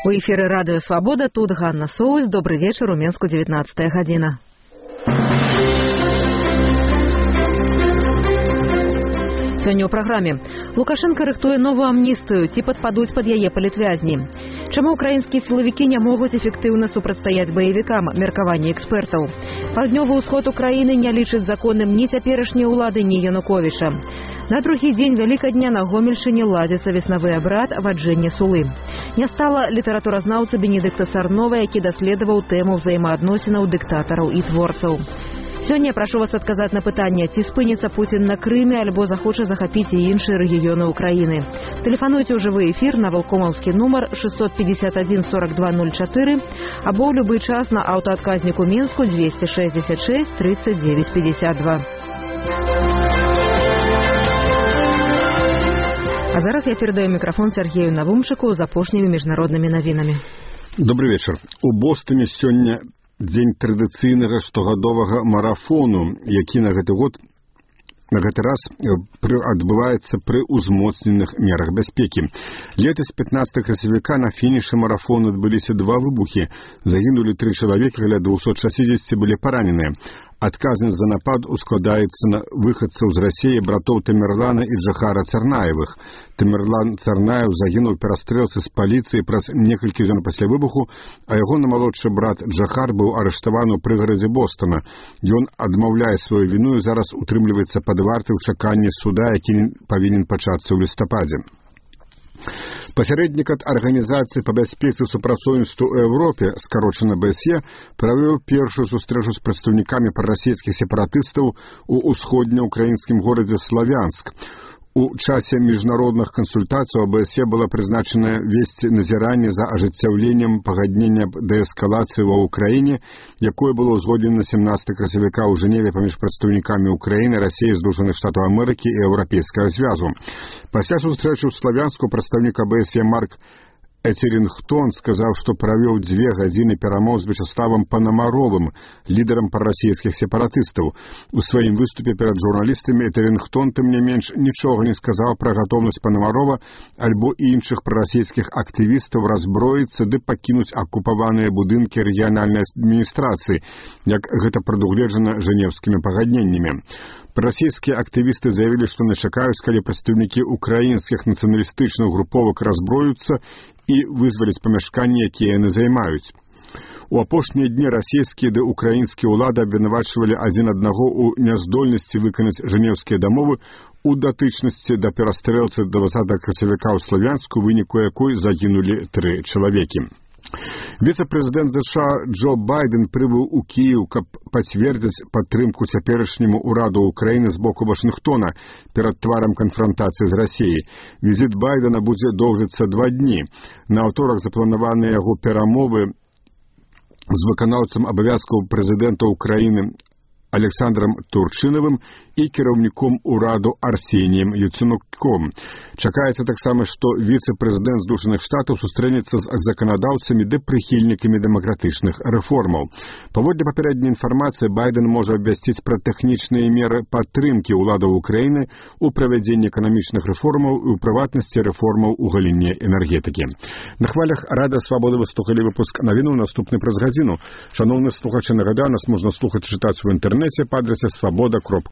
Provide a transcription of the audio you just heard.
У эфіры радыё «Свабода», тут Ганна Соус. Добрый вечер, у Менску 19 гадзіна. Сёння ў праграме. Лукашенко рыхтуе новую амністыю, ці падпадуць пад яе палітвязні. Чаму украінскія сілавікі не могуць эфектыўна супрацьстаяць баевікам, меркаванне экспертаў. Паўднёвы ўсход Украіны не лічыць законным ні цяперашняй улады, ні Януковіча. На другі дзень Вялікадня на Гомельшчыне ладзіцца веснавы абрад ваджэння сулы. Не стала літаратуразнаўца Бенедыкта Сарнова, які даследаваў тэму ўзаемаадносінаў дыктатараў і творцаў. Сёння прашу вас адказаць на пытанне, ці спыніцца Пуцін на Крыме, альбо захоча захапіць і іншыя рэгіёны Украіны. Тэлефануйце ў жывы эфір на валкомаўскі нумар 651 42 04 або ў любы час на аўтаадказніку Менску 266 39 52. А зараз я передаю мікрафон Сергею Навумчыку з апошнімі міжнароднымі навінамі. Добрый вечер. У Бостоне сёння дзень традыцыйнага штогадовага марафону, які на гэты раз адбываецца пры ўзмоцненых мерах бяспекі. Летась 15 красавіка на фінішы марафону адбыліся два выбухі. Загінулі 3 чалавекі, каля 260 былі параненыя. Адказнасць за напад ускладаецца на выхадцаў з Расіі братоў Тамерлана і Джахара Царнаевых. Тамерлан Царнаев загінуў у перастрэлцы з паліцыяй праз некалькі дзён пасля выбуху, а ягоны малодшы брат Джахар быў арыштаваны ў прыгарадзе Бостона. Ён адмаўляе сваю віну і зараз утрымліваецца пад вартай у чаканні суда, які павінен пачацца ў лістападзе. Пасярэднік ад арганізацыі па бяспецы і супрацоўніцтву ў Еўропе, скарочана БСЕ, правёў першую сустрэчу з прадстаўнікамі прарасійскіх сепаратыстаў у ўсходнеукраінскім горадзе Славянск. У часе міжнародных кансультацый ОБСЕ была прызначана весці назіранне за ажыццяўленнем пагаднення дээскалацыі ва ўкраіне, якое было ўзгоднена 17 красавіка ў Жэневе паміж прадстаўнікамі Украіны, Расіі, Злучаных Штатаў Амерыкі і Еўрапейскага звязу. Пасля сустрэчы ў Славянску прадстаўнік ОБСЕ Марк Этерінгтон сказаў, што правёў 2 гадзіны перамоў з Вячеславам Панамаровым, лідарам прарасійскіх сепаратыстаў. У сваім выступе перад журналістамі Этерінгтон, тым не менш, нічога не сказаў пра гатоўнасць Панамарова альбо іншых прарасійскіх актывістаў разброіцца ды пакінуць акупаваныя будынкі рэгіянальнай адміністрацыі, як гэта прадугледжана жэнеўскімі пагадненнямі. Расійскія актывісты заявілі, што не чакаюць, калі прадстаўнікі украінскіх нацыяналістычных груповак разброюцца і вызваляць памяшканні, якія яны займаюць. У апошнія дні расійскія ды украінскія ўлады абвінавачвалі адзін аднаго ў няздольнасці выканаць жэнеўскія дамовы у датычнасці да перастрэлцы 20 красавіка ў Славянску, выніку якой загінулі 3 чалавекі. Віцэ-прэзідэнт США Джо Байден прыбыў у Кіеў, каб пацвердзіць падтрымку цяперашняму ўраду Украіны з боку Вашынгтона перад тварам канфрантацыі з Расіяй. Візіт Байдена будзе доўжыцца 2 дні. На аўторак запланаваныя яго перамовы з выканаўцам абавязкаў прэзідэнта Украіны Александром Турчынавым і кіраўніком ураду Арсеніем Яцэнюком. Чакаецца таксама, што віцэ-прэзідэнт Злучаных Штатаў сустрэнецца з заканадаўцамі ды прыхільнікамі дэмакратычных рэформаў. Паводле папярэдняй інфармацыі, Байден можа абвясціць пра тэхнічныя меры падтрымкі ўладаў Украіны ў правядзенні эканамічных рэформаў і ў прыватнасці рэформаў у галіне энергетыкі. На хвалях Радыё Свабода вы слухалі выпуск навінаў, наступны праз гадзіну. Шановны слухачы, нагадаю, нас можна слухаць і чытаць у інтэрнэце па адрасе swaboda.org.